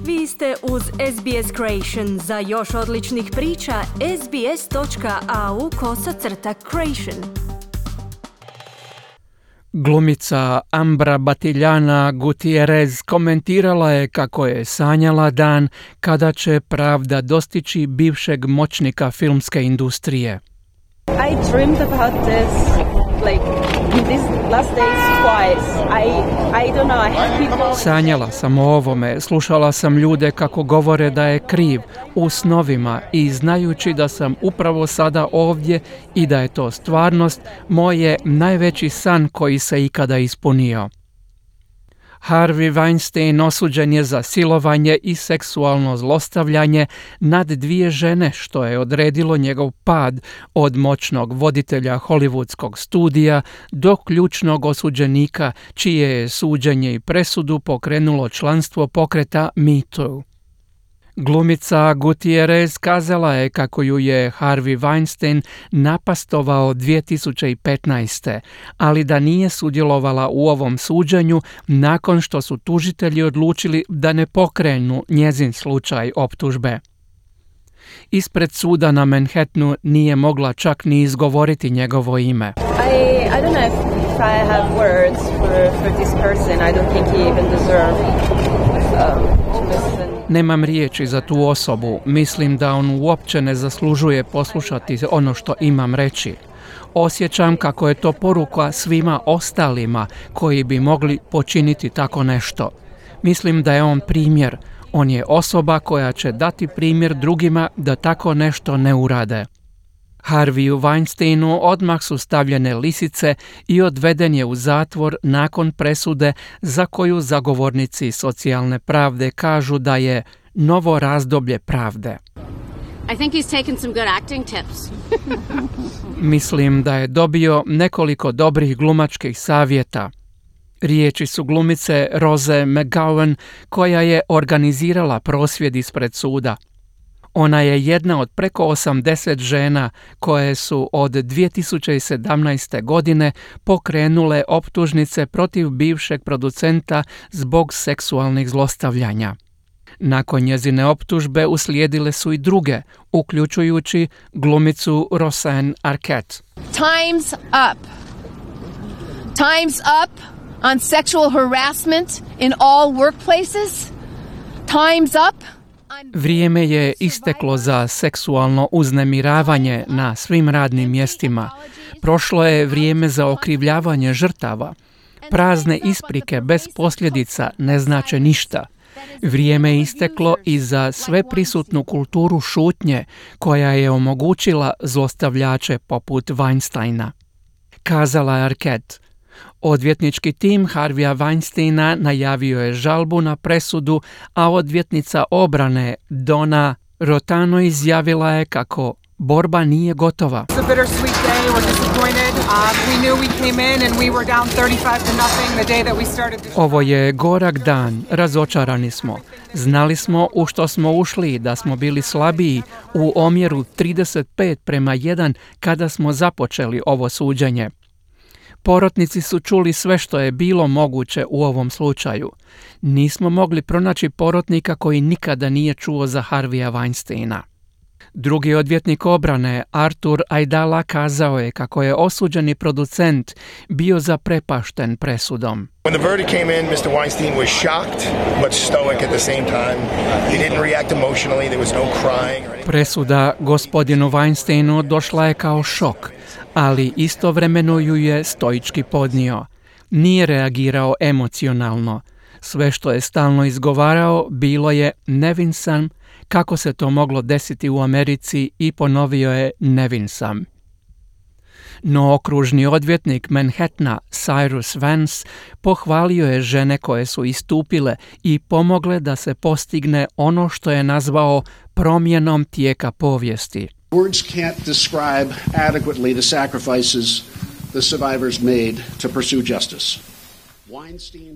Vi ste uz SBS Creation. Za još odličnih priča, sbs.au/creation. Glumica Ambra Batillana Gutierrez komentirala je kako je sanjala dan kada će pravda dostići bivšeg moćnika filmske industrije. I dreamed about this in these last days twice. I don't know, I have people... Sanjala sam o ovome, slušala sam ljude kako govore da je kriv u snovima i znajući da sam upravo sada ovdje i da je to stvarnost, moj je najveći san koji se ikada ispunio. Harvey Weinstein osuđen je za silovanje i seksualno zlostavljanje nad 2 žene, što je odredilo njegov pad od moćnog voditelja hollywoodskog studija do ključnog osuđenika, čije je suđenje i presudu pokrenulo članstvo pokreta Me Too. Glumica Gutierrez kazala je kako ju je Harvey Weinstein napastovao 2015. ali da nije sudjelovala u ovom suđenju nakon što su tužitelji odlučili da ne pokrenu njezin slučaj optužbe. Ispred suda na Manhattanu nije mogla čak ni izgovoriti njegovo ime. I don't know if I have words for this person. I don't think he even deserves to listen. Nemam riječi za tu osobu, mislim da on uopće ne zaslužuje poslušati ono što imam reći. Osjećam kako je to poruka svima ostalima koji bi mogli počiniti tako nešto. Mislim da je on primjer, on je osoba koja će dati primjer drugima da tako nešto ne urade. Harveyu Weinsteinu odmah su stavljene lisice i odveden je u zatvor nakon presude za koju zagovornici socijalne pravde kažu da je novo razdoblje pravde. I think he's taken some good acting tips. Mislim da je dobio nekoliko dobrih glumačkih savjeta. Riječi su glumice Rose McGowan koja je organizirala prosvjed ispred suda. Ona je jedna od preko 80 žena koje su od 2017. godine pokrenule optužnice protiv bivšeg producenta zbog seksualnih zlostavljanja. Nakon njezine optužbe uslijedile su i druge, uključujući glumicu Roseanne Arquette. Time's up. Time's up on sexual harassment in all workplaces. Time's up. Vrijeme je isteklo za seksualno uznemiravanje na svim radnim mjestima. Prošlo je vrijeme za okrivljavanje žrtava. Prazne isprike bez posljedica ne znače ništa. Vrijeme je isteklo i za sveprisutnu kulturu šutnje koja je omogućila zlostavljače poput Weinsteina. Kazala je Arquette. Odvjetnički tim Harveya Weinsteina najavio je žalbu na presudu, a odvjetnica obrane Donna Rotano izjavila je kako borba nije gotova. Ovo je gorak dan, razočarani smo. Znali smo u što smo ušli, da smo bili slabiji u omjeru 35:1 kada smo započeli ovo suđenje. Porotnici su čuli sve što je bilo moguće u ovom slučaju. Nismo mogli pronaći porotnika koji nikada nije čuo za Harveya Weinsteina. Drugi odvjetnik obrane, Arthur Aidala, kazao je kako je osuđeni producent bio zaprepašten presudom. When the verdict came in, Mr. Weinstein was shocked but stoic at the same time. He didn't react emotionally, there was no crying or anything. Presuda gospodinu Weinsteinu došla je kao šok, ali istovremeno ju je stoički podnio. Nije reagirao emocionalno. Sve što je stalno izgovarao bilo je nevin sam, kako se to moglo desiti u Americi, i ponovio je nevin sam. No okružni odvjetnik Manhattana Cyrus Vance pohvalio je žene koje su istupile i pomogle da se postigne ono što je nazvao promjenom tijeka povijesti. Words can't describe adequately the sacrifices the survivors made to pursue justice.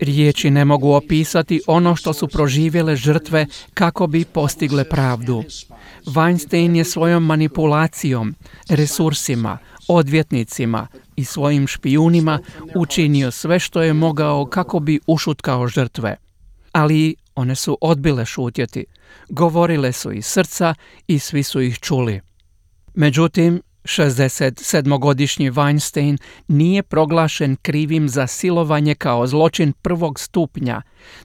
Riječi ne mogu opisati ono što su proživjele žrtve kako bi postigle pravdu. Weinstein je svojom manipulacijom, resursima, odvjetnicima i svojim špijunima učinio sve što je mogao kako bi ušutkao žrtve. Ali One su odbile šutjeti, govorile su iz srca i svi su ih čuli. Međutim, 67-godišnji Weinstein nije proglašen krivim za silovanje kao zločin prvog stupnja,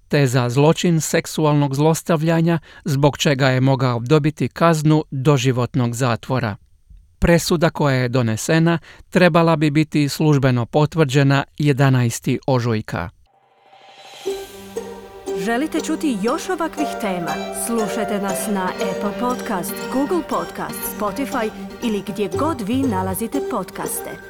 te za zločin seksualnog zlostavljanja, zbog čega je mogao dobiti kaznu doživotnog zatvora. Presuda koja je donesena trebala bi biti službeno potvrđena 11. ožujka. Želite čuti još ovakvih tema? Slušajte nas na Apple Podcast, Google Podcast, Spotify ili gdje god vi nalazite podcaste.